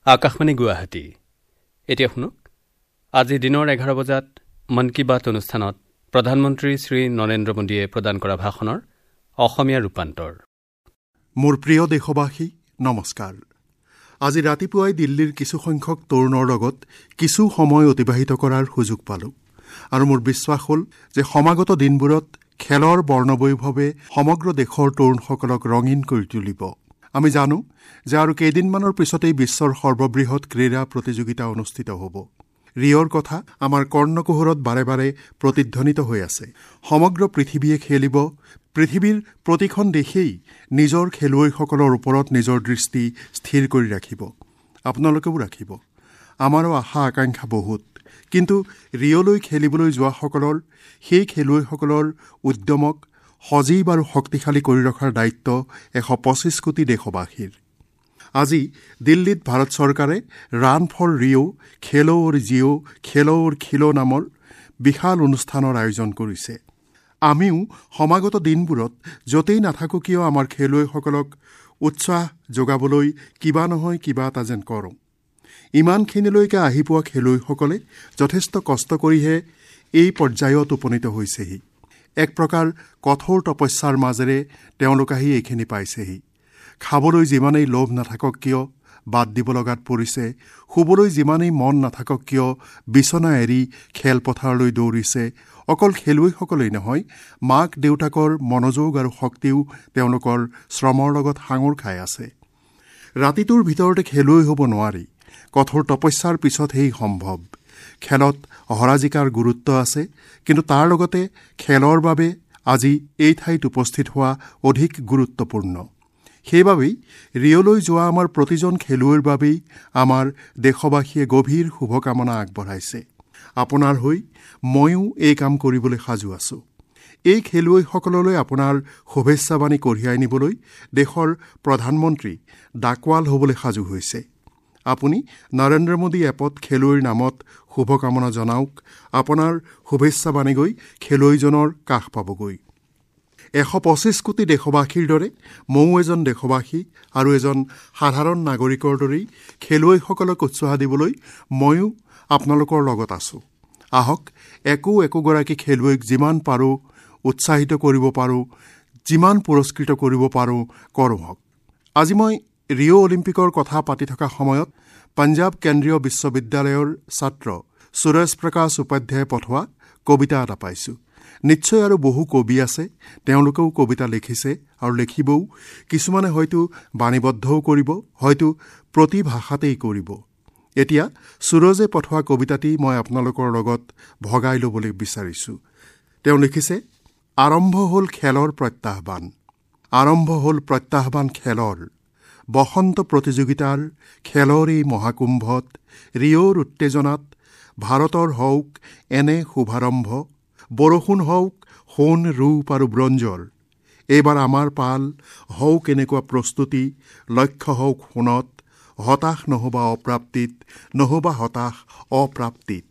আকাশবাণী গুৱাহাটী। এতিয়া শুনক আজি দিনৰ 11 বজাত মন কী বাত অনুষ্ঠানত প্ৰধানমন্ত্ৰী শ্ৰী নৰেন্দ্ৰ মোদীয়ে প্ৰদান কৰা ভাষণৰ অসমীয়া ৰূপান্তৰ। মোৰ প্ৰিয় দেশবাসী, নমস্কাৰ। আজি ৰাতিপুৱাই দিল্লীৰ কিছুসংখ্যক তৰুণৰ লগত কিছু সময় অতিবাহিত কৰাৰ সুযোগ পালোঁ আৰু মোৰ বিশ্বাস হ'ল যে সমাগত দিনবোৰত খেলৰ বৰ্ণবৈভৱে সমগ্ৰ দেশৰ তৰুণসকলক ৰঙীন কৰি তুলিব। আমি জানো যে আৰু কেইদিনমানৰ পিছতেই বিশ্বৰ সৰ্ববৃহৎ ক্ৰীড়া প্ৰতিযোগিতা অনুষ্ঠিত হ'ব। ৰিঅ'ৰ কথা আমাৰ কৰ্ণকুহৰত বাৰে বাৰে প্ৰতিধ্বনিত হৈ আছে। সমগ্ৰ পৃথিৱীয়ে খেলিব। পৃথিৱীৰ প্ৰতিখন দেশেই নিজৰ খেলুৱৈসকলৰ ওপৰত নিজৰ দৃষ্টি স্থিৰ কৰি ৰাখিব। আপোনালোকেও ৰাখিব। আমাৰো আশা আকাংক্ষা বহুত, কিন্তু ৰিঅ'লৈ খেলিবলৈ যোৱাসকলৰ, সেই খেলুৱৈসকলৰ উদ্যমক সজীৱ আৰু শক্তিশালী কৰি ৰখাৰ দায়িত্ব 125 কোটি দেশবাসীৰ। আজি দিল্লীত ভাৰত চৰকাৰে ৰান ফৰ ৰিঅ', খেলো অৰ জিঅ', খেলো অৰ খিলো নামৰ বিশাল অনুষ্ঠানৰ আয়োজন কৰিছে। আমিও সমাগত দিনবোৰত য'তেই নাথাকোঁ কিয় আমাৰ খেলুৱৈসকলক উৎসাহ যোগাবলৈ কিবা নহয় কিবা এটা যেন কৰোঁ। ইমানখিনিলৈকে আহি পোৱা খেলুৱৈসকলে যথেষ্ট কষ্ট কৰিহে এই পৰ্যায়ত উপনীত হৈছেহি। এক প্ৰকাৰ কঠোৰ তপস্যাৰ মাজেৰে তেওঁলোক আহি এইখিনি পাইছেহি। খাবলৈ যিমানেই লোভ নাথাকক কিয় বাদ দিব লগাত পৰিছে, শুবলৈ যিমানেই মন নাথাকক কিয় বিচনা এৰি খেলপথাৰলৈ দৌৰিছে। অকল খেলুৱৈসকলেই নহয়, মাক দেউতাকৰ মনোযোগ আৰু শক্তিও তেওঁলোকৰ শ্ৰমৰ লগত সাঙুৰ খাই আছে। ৰাতিটোৰ ভিতৰতে খেলুৱৈ হ'ব নোৱাৰি, কঠোৰ তপস্যাৰ পিছতহে সম্ভৱ। খেলত হৰা জিকাৰ গুৰুত্ব আছে, কিন্তু তাৰ লগতে খেলৰ বাবে আজি এই ঠাইত উপস্থিত হোৱা অধিক গুৰুত্বপূৰ্ণ। সেইবাবেই ৰিঅ'লৈ যোৱা আমাৰ প্ৰতিজন খেলুৱৈৰ বাবেই আমাৰ দেশবাসীয়ে গভীৰ শুভকামনা আগবঢ়াইছে। আপোনাৰ হৈ ময়ো এই কাম কৰিবলৈ সাজু আছোঁ। এই খেলুৱৈসকললৈ আপোনাৰ শুভেচ্ছাবাণী কঢ়িয়াই নিবলৈ দেশৰ প্ৰধানমন্ত্ৰী ডাকোৱাল হ'বলৈ সাজু হৈছে। আপুনি নৰেন্দ্ৰ মোদী এপত খেলুৱৈৰ নামত শুভকামনা জনাওক। আপোনাৰ শুভেচ্ছাবাণী গৈ খেলুৱৈজনৰ কাষ পাবগৈ। 125 কোটি দেশবাসীৰ দৰে ময়ো এজন দেশবাসী আৰু এজন সাধাৰণ নাগৰিকৰ দৰেই খেলুৱৈসকলক উৎসাহ দিবলৈ ময়ো আপোনালোকৰ লগত আছোঁ। আহক, একো একোগৰাকী খেলুৱৈক যিমান পাৰোঁ উৎসাহিত কৰিব পাৰোঁ, যিমান পুৰস্কৃত কৰিব পাৰোঁ কৰোঁ হওক। আজি মই ৰিঅ' অলিম্পিকৰ কথা পাতি থকা সময়ত পঞ্জাৱ কেন্দ্ৰীয় বিশ্ববিদ্যালয়ৰ ছাত্ৰ সুৰজ প্ৰকাশ উপাধ্যায়ে পঠোৱা কবিতা এটা পাইছোঁ। নিশ্চয় আৰু বহু কবি আছে, তেওঁলোকেও কবিতা লিখিছে আৰু লিখিবও। কিছুমানে হয়তো বাণীবদ্ধও কৰিব, হয়তো প্ৰতি ভাষাতেই কৰিব। এতিয়া সুৰজে পঠোৱা কবিতাটি মই আপোনালোকৰ লগত ভগাই ল'বলৈ বিচাৰিছোঁ। তেওঁ লিখিছে, আৰম্ভ হ'ল খেলৰ প্ৰত্যাহ্বান, আৰম্ভ হ'ল প্ৰত্যাহ্বান খেলৰ। বসন্ত প্ৰতিযোগিতাৰ খেলৰ এই মহাকুম্ভত ৰিঅ'ৰ উত্তেজনাত ভাৰতৰ হওক এনে শুভাৰম্ভ, বৰষুণ হওক সোণ ৰূপ আৰু ব্ৰঞ্জৰ। এইবাৰ আমাৰ পাল হওক এনেকুৱা প্ৰস্তুতি, লক্ষ্য হওক সোণত, হতাশ নহ'বা অপ্ৰাপ্তিত, নহ'বা হতাশ অপ্ৰাপ্তিত।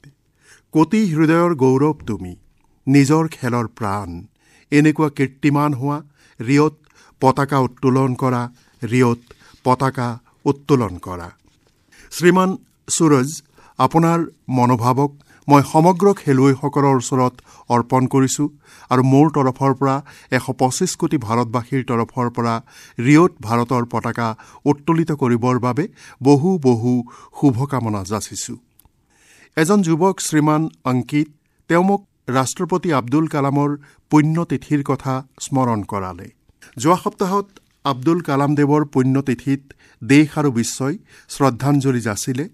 কোটি হৃদয়ৰ গৌৰৱ তুমি, নিজৰ খেলৰ প্ৰাণ, এনেকুৱা কীৰ্তিমান হোৱা, ৰিঅ'ত পতাকা উত্তোলন কৰা, ৰিঅ'ত পতাকা উত্তোলন কৰা। শ্ৰীমান সুৰজ, আপোনাৰ মনোভাৱক মই সমগ্ৰ খেলুৱৈসকলৰ ওচৰত অৰ্পণ কৰিছোঁ আৰু মোৰ তৰফৰ পৰা 125 কোটি ভাৰতবাসীৰ তৰফৰ পৰা ৰিঅ'ত ভাৰতৰ পতাকা উত্তোলিত কৰিবৰ বাবে বহু বহু শুভকামনা যাচিছোঁ। এজন যুৱক শ্ৰীমান অংকিত, তেওঁ মোক ৰাষ্ট্ৰপতি আব্দুল কালামৰ পুণ্যতিথিৰ কথা স্মৰণ কৰালে। যোৱা সপ্তাহত আব্দুল কালামদেৱৰ পুণ্যতিথিত দেশ আৰু বিশ্বই শ্ৰদ্ধাঞ্জলি যাচিলে,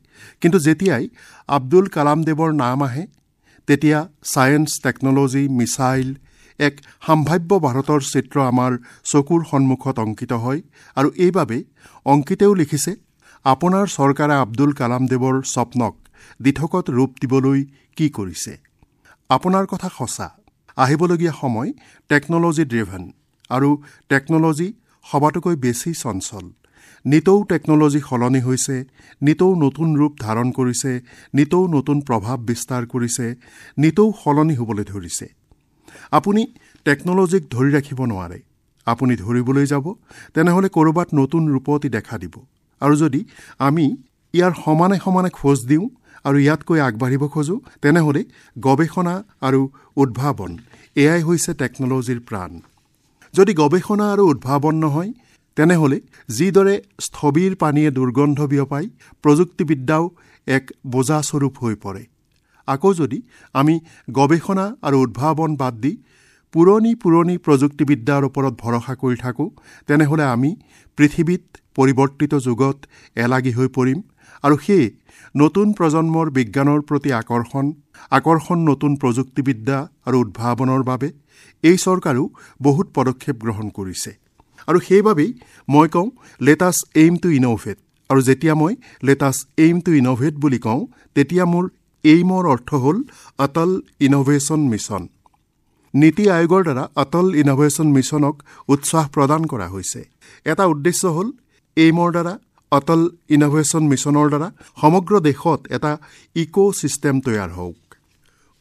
কিন্তু যেতিয়াই আব্দুল কালামদেৱৰ নাম আহে তেতিয়া ছায়েন্স, টেকন'লজি, মিছাইল, এক সম্ভাৱ্য ভাৰতৰ চিত্ৰ আমাৰ চকুৰ সন্মুখত অংকিত হয়। আৰু এইবাবেই অংকিতেও লিখিছে, আপোনাৰ চৰকাৰে আব্দুল কালামদেৱৰ স্বপ্নক দিঠকত ৰূপ দিবলৈ কি কৰিছে? আপোনাৰ কথা সঁচা। আহিবলগীয়া সময় টেকন'লজি ড্ৰিভেন আৰু টেকন'লজি সবাতোকৈ বেছি চঞ্চল। নিতৌ টেকন'লজি সলনি হৈছে, নিতৌ নতুন ৰূপ ধাৰণ কৰিছে, নিতৌ নতুন প্ৰভাৱ বিস্তাৰ কৰিছে, নিতৌ সলনি হ'বলৈ ধৰিছে। আপুনি টেকন'লজিক ধৰি ৰাখিব নোৱাৰে। আপুনি ধৰিবলৈ যাব তেনেহ'লে ক'ৰবাত নতুন ৰূপত দেখা দিব। আৰু যদি আমি ইয়াৰ সমানে সমানে খোজ দিওঁ আৰু ইয়াতকৈ আগবাঢ়িব খোজোঁ, তেনেহ'লে গৱেষণা আৰু উদ্ভাৱন এয়াই হৈছে টেকন'লজিৰ প্ৰাণ। যদি গৱেষণা আৰু উদ্ভাৱন নহয়, তেনেহ'লে যিদৰে স্থবিৰ পানীয়ে দুৰ্গন্ধ বিয়পায়, প্ৰযুক্তিবিদ্যাও এক বোজাস্বৰূপ হৈ পৰে। আকৌ যদি আমি গৱেষণা আৰু উদ্ভাৱন বাদ দি পুৰণি পুৰণি প্ৰযুক্তিবিদ্যাৰ ওপৰত ভৰসা কৰি থাকোঁ, তেনেহ'লে আমি পৃথিৱীত পৰিৱৰ্তিত যুগত এলাগী হৈ পৰিম। আৰু সেয়ে নতুন প্ৰজন্মৰ বিজ্ঞানৰ প্ৰতি আকৰ্ষণ, নতুন প্ৰযুক্তিবিদ্যা আৰু উদ্ভাৱনৰ বাবে এই চৰকাৰেও বহুত পদক্ষেপ গ্ৰহণ কৰিছে। আৰু সেইবাবেই মই কওঁ, let us aim to innovate. আৰু যেতিয়া মই let us aim to innovate বুলি কওঁ, তেতিয়া মোৰ এইমৰ অৰ্থ হ'ল অটল ইন'ভেশ্যন মিছন। নীতি আয়োগৰ দ্বাৰা অটল ইন'ভেশ্যন মিছনক উৎসাহ প্ৰদান কৰা হৈছে। এটা উদ্দেশ্য হ'ল এইমৰ দ্বাৰা, অটল ইন'ভেশ্যন মিছনৰ দ্বাৰা সমগ্ৰ দেশত এটা ইক' ছিষ্টেম তৈয়াৰ হওক।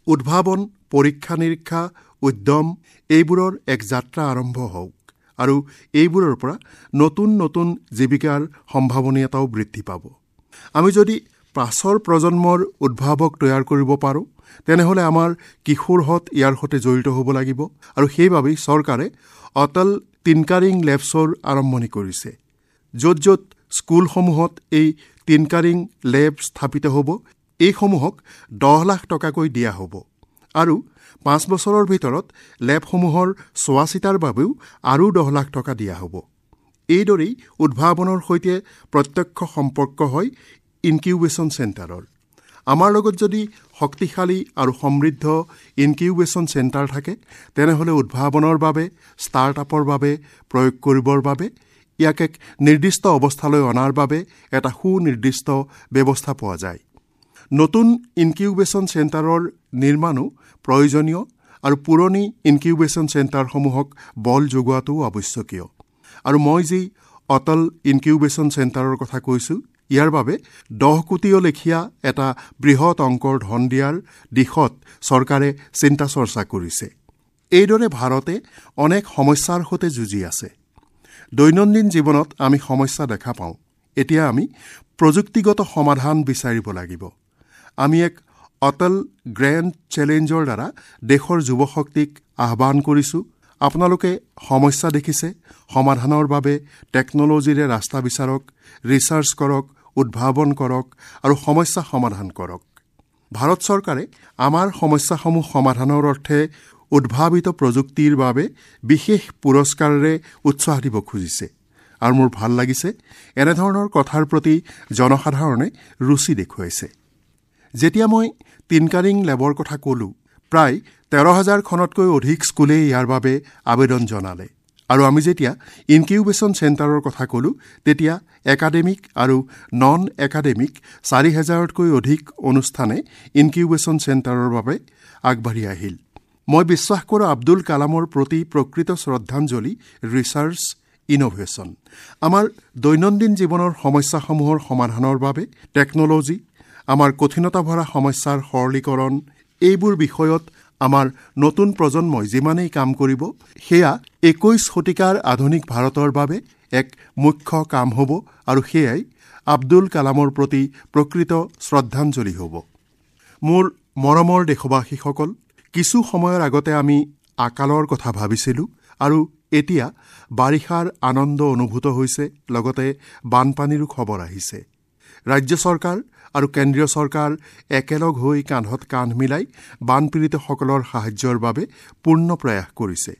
উদ্ভাৱন, পৰীক্ষা নিৰীক্ষা, উদ্যম এইবোৰৰ এক যাত্ৰা আৰম্ভ হওক আৰু এইবোৰৰ পৰা নতুন নতুন জীৱিকাৰ সম্ভাৱনীয়তাও বৃদ্ধি পাব। আমি যদি পাছৰ প্ৰজন্মৰ উদ্ভাৱক তৈয়াৰ কৰিব পাৰোঁ, তেনেহ'লে আমাৰ কিশোৰহঁত ইয়াৰ সৈতে জড়িত হ'ব লাগিব। আৰু সেইবাবেই চৰকাৰে অটল টিনকাৰিং লেবছৰ আৰম্ভণি কৰিছে। য'ত য'ত স্কুলসমূহত এই টিনকাৰিং লেব স্থাপিত হ'ব, এইসমূহক 10 লাখ টকাকৈ দিয়া হ'ব আৰু 5 বছৰৰ ভিতৰত লেবসমূহৰ চোৱা চিতাৰ বাবেও আৰু 10 লাখ টকা দিয়া হ'ব। এইদৰেই উদ্ভাৱনৰ সৈতে প্ৰত্যক্ষ সম্পৰ্ক হয় ইনকিউবেশ্যন চেণ্টাৰৰ। আমাৰ লগত যদি শক্তিশালী আৰু সমৃদ্ধ ইনকিউবেশ্যন চেণ্টাৰ থাকে, তেনেহ'লে উদ্ভাৱনৰ বাবে, ষ্টাৰ্টআপৰ বাবে, প্ৰয়োগ কৰিবৰ বাবে, ইয়াক এক নিৰ্দিষ্ট অৱস্থালৈ অনাৰ বাবে এটা সুনিৰ্দিষ্ট ব্যৱস্থা পোৱা যায়। নতুন ইনকিউবেশ্যন চেণ্টাৰৰ নিৰ্মাণো প্ৰয়োজনীয় আৰু পুৰণি ইনকিউবেশ্যন চেণ্টাৰসমূহক বল যোগোৱাটোও আৱশ্যকীয়। আৰু মই যি অটল ইনকিউবেশ্যন চেণ্টাৰৰ কথা কৈছোঁ, ইয়াৰ বাবে 10 কোটিও লেখীয়া এটা বৃহৎ অংকৰ ধন দিয়াৰ দিশত চৰকাৰে চিন্তা চৰ্চা কৰিছে। এইদৰে ভাৰতে অনেক সমস্যাৰ সৈতে যুঁজি আছে। দৈনন্দিন জীৱনত আমি সমস্যা দেখা পাওঁ। এতিয়া আমি প্ৰযুক্তিগত সমাধান বিচাৰিব লাগিব। আমি এক অটল গ্ৰেণ্ড চেলেঞ্জৰ দ্বাৰা দেশৰ যুৱশক্তিক আহ্বান কৰিছোঁ, আপোনালোকে সমস্যা দেখিছে, সমাধানৰ বাবে টেকন'লজিৰে ৰাস্তা বিচাৰক, ৰিচাৰ্চ কৰক, উদ্ভাৱন কৰক আৰু সমস্যা সমাধান কৰক। ভাৰত চৰকাৰে আমাৰ সমস্যাসমূহ সমাধানৰ অৰ্থে উদ্ভাৱিত প্ৰযুক্তিৰ বাবে বিশেষ পুৰস্কাৰেৰে উৎসাহ দিব খুজিছে। আৰু মোৰ ভাল লাগিছে, এনেধৰণৰ কথাৰ প্ৰতি জনসাধাৰণে ৰুচি দেখুৱাইছে। যেতিয়া মই টিনকাৰিং লেবৰ কথা ক'লোঁ, প্ৰায় 13,000খনতকৈ অধিক স্কুলে ইয়াৰ বাবে আবেদন জনালে। আৰু আমি যেতিয়া ইনকিউবেশ্যন চেণ্টাৰৰ কথা ক'লোঁ, তেতিয়া একাডেমিক আৰু নন একাডেমিক 4,000তকৈ অধিক অনুষ্ঠানে ইনকিউবেশ্যন চেণ্টাৰৰ বাবে আগবাঢ়ি আহিল। মই বিশ্বাস কৰোঁ আব্দুল কালামৰ প্ৰতি প্ৰকৃত শ্ৰদ্ধাঞ্জলি ৰিচাৰ্চ, ইন'ভেশ্যন। আমাৰ দৈনন্দিন জীৱনৰ সমস্যাসমূহৰ সমাধানৰ বাবে টেকন'লজি, আমাৰ কঠিনতা ভৰা সমস্যাৰ সৰলীকৰণ, এইবোৰ বিষয়ত আমাৰ নতুন প্ৰজন্মই যিমানেই কাম কৰিব, সেয়া 21 শতিকাৰ আধুনিক ভাৰতৰ বাবে এক মুখ্য কাম হ'ব আৰু সেয়াই আব্দুল কালামৰ প্ৰতি প্ৰকৃত শ্ৰদ্ধাঞ্জলি হ'ব। মোৰ মৰমৰ দেশবাসীসকল, কিছু সময়ৰ আগতে আমি আকালৰ কথা ভাবিছিলোঁ আৰু এতিয়া বাৰিষাৰ আনন্দ অনুভূত হৈছে, লগতে বানপানীৰো খবৰ আহিছে। ৰাজ্য চৰকাৰ আৰু কেন্দ্ৰীয় চৰকাৰ একেলগ হৈ কান্ধত কান্ধ মিলাই বানপীড়িতসকলৰ সাহায্যৰ বাবে পূৰ্ণ প্ৰয়াস কৰিছে।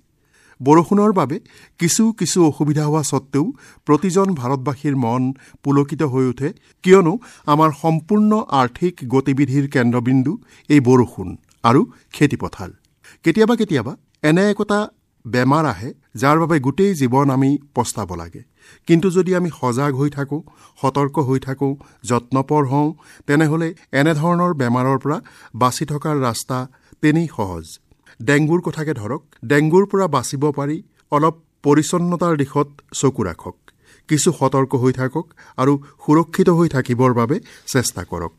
বৰষুণৰ বাবে কিছু কিছু অসুবিধা হোৱা সত্ত্বেও প্ৰতিজন ভাৰতবাসীৰ মন পুলকিত হৈ উঠে, কিয়নো আমাৰ সম্পূৰ্ণ আৰ্থিক গতিবিধিৰ কেন্দ্ৰবিন্দু এই বৰষুণ আৰু খেতিপথাৰ। কেতিয়াবা কেতিয়াবা এনে একোটা বেমাৰ আহে যাৰ বাবে গোটেই জীৱন আমি পস্তাব লাগে। কিন্তু যদি আমি সজাগ হৈ থাকোঁ, সতৰ্ক হৈ থাকোঁ, যত্নপৰ হওঁ, তেনেহ'লে এনেধৰণৰ বেমাৰৰ পৰা বাচি থকাৰ ৰাস্তা তেনেই সহজ। ডেংগুৰ কথাকে ধৰক, ডেংগুৰ পৰা বাচিব পাৰি অলপ পৰিচ্ছন্নতাৰ দিশত চকু ৰাখক, কিছু সতৰ্ক হৈ থাকক আৰু সুৰক্ষিত হৈ থাকিবৰ বাবে চেষ্টা কৰক।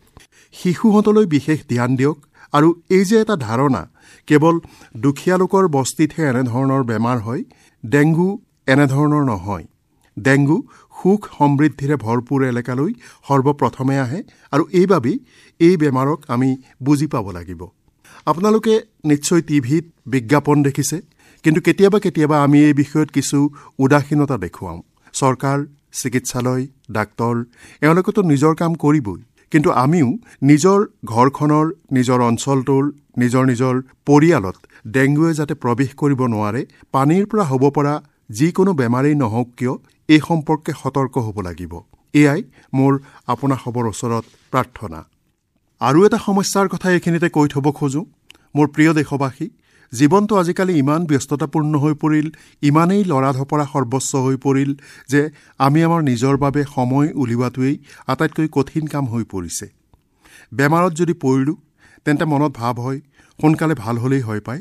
শিশুহঁতলৈ বিশেষ ধ্যান দিয়ক। আৰু এই যে এটা ধাৰণা কেৱল দুখীয়া লোকৰ বস্তিতহে এনেধৰণৰ বেমাৰ হয়, ডেংগু এনেধৰণৰ নহয়। ডেংগু সুখ সমৃদ্ধিৰে ভৰপূৰ এলেকালৈ সৰ্বপ্ৰথমে আহে আৰু এইবাবেই এই বেমাৰক আমি বুজি পাব লাগিব। আপোনালোকে নিশ্চয় টিভিত বিজ্ঞাপন দেখিছে, কিন্তু কেতিয়াবা কেতিয়াবা আমি এই বিষয়ত কিছু উদাসীনতা দেখুৱাওঁ। চৰকাৰ, চিকিৎসালয়, ডাক্তৰ এওঁলোকেতো নিজৰ কাম কৰিবই, কিন্তু আমিও নিজৰ ঘৰখনৰ, নিজৰ অঞ্চলটোৰ, নিজৰ নিজৰ পৰিয়ালত ডেংগুৱে যাতে প্ৰৱেশ কৰিব নোৱাৰে, পানীৰ পৰা হ'ব পৰা যিকোনো বেমাৰেই নহওক কিয়, এই সম্পৰ্কে সতৰ্ক হ'ব লাগিব। এয়াই মোৰ আপোনাসৱৰ ওচৰত প্ৰাৰ্থনা। আৰু এটা সমস্যাৰ কথা এইখিনিতে কৈ থ'ব খোজোঁ। মোৰ প্ৰিয় দেশবাসী, জীৱনটো আজিকালি ইমান ব্যস্ততাপূৰ্ণ হৈ পৰিল, ইমানেই লৰা-ধপৰা সৰ্বস্ব হৈ পৰিল যে আমি আমাৰ নিজৰ বাবে সময় উলিওৱাটোৱেই আটাইতকৈ কঠিন কাম হৈ পৰিছে। বেমাৰত যদি পৰিলোঁ তেন্তে মনত ভাৱ হয় সোনকালে ভাল হ'লেই হয় পায়,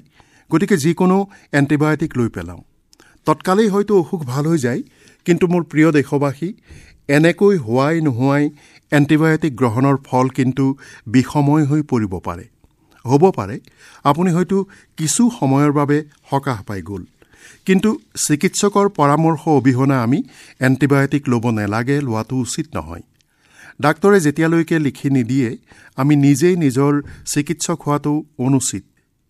গতিকে যিকোনো এণ্টিবায়'টিক লৈ পেলাওঁ, তৎকালেই হয়তো অসুখ ভাল হৈ যায়। কিন্তু মোৰ প্ৰিয় দেশবাসী, এনেকৈ হোৱাই নোহোৱাই এণ্টিবায়'টিক গ্ৰহণৰ ফল কিন্তু বিষময় হৈ পৰিব পাৰে। হ'ব পাৰে আপুনি হয়তো কিছু সময়ৰ বাবে সকাহ পাই গ'ল, কিন্তু চিকিৎসকৰ পৰামৰ্শ অবিহনে আমি এণ্টিবায়'টিক ল'ব নালাগে, লোৱাটো উচিত নহয়। ডাক্তৰে যেতিয়ালৈকে লিখি নিদিয়ে আমি নিজেই নিজৰ চিকিৎসক হোৱাটো অনুচিত,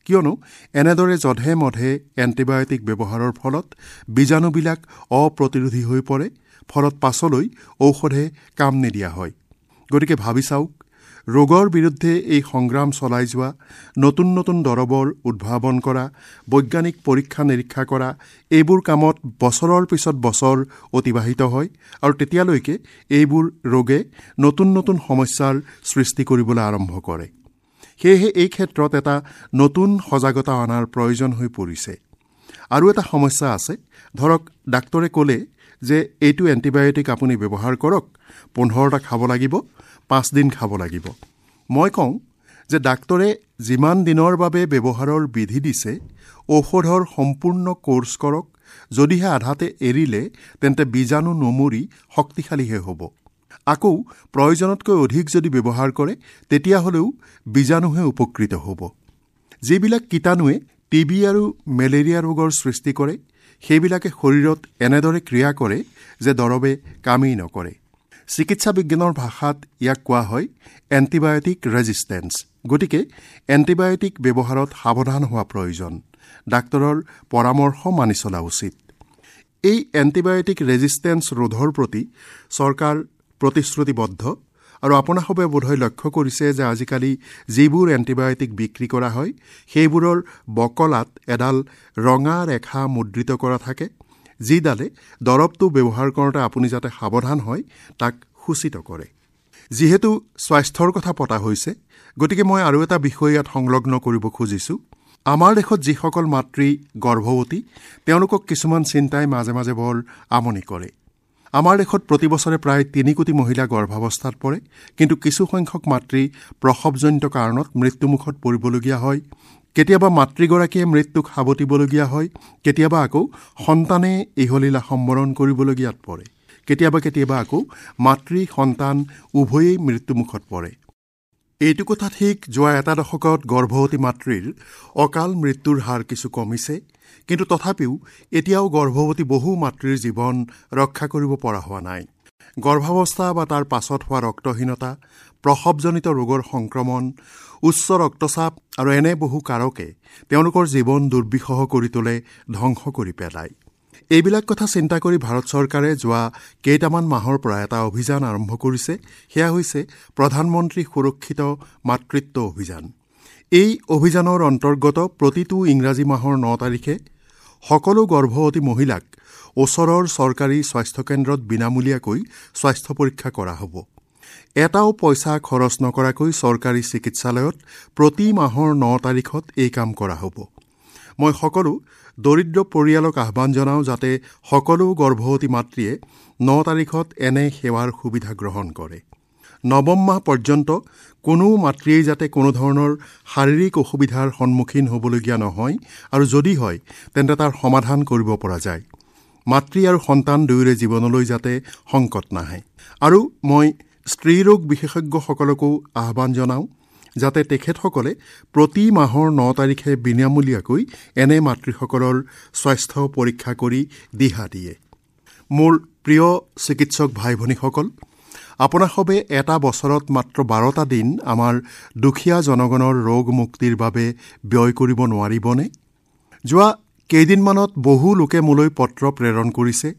কিয়নো এনেদৰে যধে মধে এণ্টিবায়'টিক ব্যৱহাৰৰ ফলত বীজাণুবিলাক অপ্ৰতিৰোধী হৈ পৰে, ফলত পাছলৈ ঔষধে কাম নিদিয়া হয়। গতিকে ভাবি চাওক, ৰোগৰ বিৰুদ্ধে এই সংগ্ৰাম চলাই যোৱা, নতুন নতুন দৰৱৰ উদ্ভাৱন কৰা, বৈজ্ঞানিক পৰীক্ষা নিৰীক্ষা কৰা, এইবোৰ কামত বছৰৰ পিছত বছৰ অতিবাহিত হয় আৰু তেতিয়ালৈকে এইবোৰ ৰোগে নতুন নতুন সমস্যাৰ সৃষ্টি কৰিবলৈ আৰম্ভ কৰে। সেয়েহে এই ক্ষেত্ৰত এটা নতুন সজাগতা অনাৰ প্ৰয়োজন হৈ পৰিছে। আৰু এটা সমস্যা আছে, ধৰক ডাক্তৰে ক'লে যে এইটো এণ্টিবায়'টিক আপুনি ব্যৱহাৰ কৰক, 15টা খাব লাগিব, 5 দিন খাব লাগিব। মই কওঁ যে ডাক্তৰে যিমান দিনৰ বাবে ব্যৱহাৰৰ বিধি দিছে ঔষধৰ সম্পূৰ্ণ কোৰ্চ কৰক, যদিহে আধাতে এৰিলে তেন্তে বীজাণু নমৰি শক্তিশালীহে হ'ব। আকৌ প্ৰয়োজনতকৈ অধিক যদি ব্যৱহাৰ কৰে তেতিয়াহ'লেও বীজাণুহে উপকৃত হ'ব। যিবিলাক কীটাণুৱে টিবি আৰু মেলেৰিয়া ৰোগৰ সৃষ্টি কৰে সেইবিলাকে শৰীৰত এনেদৰে ক্ৰিয়া কৰে যে দৰৱে কামেই নকৰে। চিকিৎসা বিজ্ঞানৰ ভাষাত ইয়াক কোৱা হয় এণ্টিবায়'টিক ৰেজিষ্টেঞ্চ। গতিকে এণ্টিবায়'টিক ব্যৱহাৰত সাৱধান হোৱা প্ৰয়োজন, ডাক্তৰৰ পৰামৰ্শ মানি চলা উচিত। এই এণ্টিবায়'টিক ৰেজিষ্টেঞ্চ ৰোধৰ প্ৰতি চৰকাৰ প্ৰতিশ্ৰুতিবদ্ধ আৰু আপোনাসৱে বোধহয় লক্ষ্য কৰিছে যে আজিকালি যিবোৰ এণ্টিবায়'টিক বিক্ৰী কৰা হয় সেইবোৰৰ বকলাত এডাল ৰঙা ৰেখা মুদ্ৰিত কৰা থাকে, যিডালে দৰৱটো ব্যৱহাৰ কৰোঁতে আপুনি যাতে সাৱধান হয় তাক সূচিত কৰে। যিহেতু স্বাস্থ্যৰ কথা পতা হৈছে, গতিকে মই আৰু এটা বিষয় ইয়াত সংলগ্ন কৰিব খুজিছোঁ। আমাৰ দেশত যিসকল মাতৃ গৰ্ভৱতী তেওঁলোকক কিছুমান চিন্তাই মাজে মাজে বৰ আমনি কৰে। আমাৰ দেশত প্ৰতি বছৰে প্ৰায় 3 কোটি মহিলা গৰ্ভাৱস্থাত পৰে, কিন্তু কিছুসংখ্যক মাতৃ প্ৰসৱজনিত কাৰণত মৃত্যুমুখত পৰিবলগীয়া হয়। কেতিয়াবা মাতৃগৰাকীয়ে মৃত্যুক সাৱটিবলগীয়া হয়, কেতিয়াবা আকৌ সন্তানে ইহলীলা সম্বৰণ কৰিবলগীয়াত পৰে, কেতিয়াবা কেতিয়াবা আকৌ মাতৃ সন্তান উভয়েই মৃত্যুমুখত পৰে। এইটো কথা ঠিক, যোৱা এটা দশকত গৰ্ভৱতী মাতৃৰ অকাল মৃত্যুৰ হাৰ কিছু কমিছে, কিন্তু তথাপিও এতিয়াও গৰ্ভৱতী বহু মাতৃৰ জীৱন ৰক্ষা কৰিব পৰা হোৱা নাই। গৰ্ভাৱস্থা বা তাৰ পাছত হোৱা ৰক্তহীনতা, প্ৰসৱজনিত ৰোগৰ সংক্ৰমণ, উচ্চ ৰক্তচাপ আৰু এনে বহু কাৰকে তেওঁলোকৰ জীৱন দুৰ্বিষহ কৰি তোলে, ধ্বংস কৰি পেলায়। এইবিলাক কথা চিন্তা কৰি ভাৰত চৰকাৰে যোৱা কেইটামান মাহৰ পৰা এটা অভিযান আৰম্ভ কৰিছে। সেয়া হৈছে প্ৰধানমন্ত্ৰী সুৰক্ষিত মাতৃত্ব অভিযান। এই অভিযানৰ অন্তৰ্গত প্ৰতিটো ইংৰাজী মাহৰ 9 তাৰিখে সকলো গৰ্ভৱতী মহিলাক ওচৰৰ চৰকাৰী স্বাস্থ্যকেন্দ্ৰত বিনামূলীয়াকৈ স্বাস্থ্য পৰীক্ষা কৰা হ'ব। এটাও পইচা খৰচ নকৰাকৈ চৰকাৰী চিকিৎসালয়ত প্ৰতি মাহৰ 9 তাৰিখত এই কাম কৰা হ'ব। মই সকলো দৰিদ্ৰ পৰিয়ালক আহ্বান জনাওঁ যাতে সকলো গৰ্ভৱতী মাতৃয়ে 9 তাৰিখত এনে সেৱাৰ সুবিধা গ্ৰহণ কৰে। নৱম মাহ পৰ্যন্ত কোনো মাতৃয়েই যাতে কোনো ধৰণৰ শাৰীৰিক অসুবিধাৰ সন্মুখীন হ'বলগীয়া নহয়, আৰু যদি হয় তেন্তে তাৰ সমাধান কৰিব পৰা যায়। মাতৃ আৰু সন্তান দুয়োৰে জীৱনলৈ যাতে সংকট নাহে। আৰু মই স্ত্ৰীৰোগ বিশেষজ্ঞসকলকো আহ্বান জনাওঁ যাতে তেখেতসকলে প্ৰতি মাহৰ 9 তাৰিখে বিনামূলীয়াকৈ এনে মাতৃসকলৰ স্বাস্থ্য পৰীক্ষা কৰি দিহা দিয়ে। মোৰ প্ৰিয় চিকিৎসক ভাই ভনীসকল, আপোনাসবে এটা বছৰত মাত্ৰ 12টা দিন আমাৰ দুখীয়া জনগণৰ ৰোগ মুক্তিৰ বাবে ব্যয় কৰিব নোৱাৰিবনে? যোৱা কেইদিনমানত বহু লোকে মোলৈ পত্ৰ প্ৰেৰণ কৰিছে।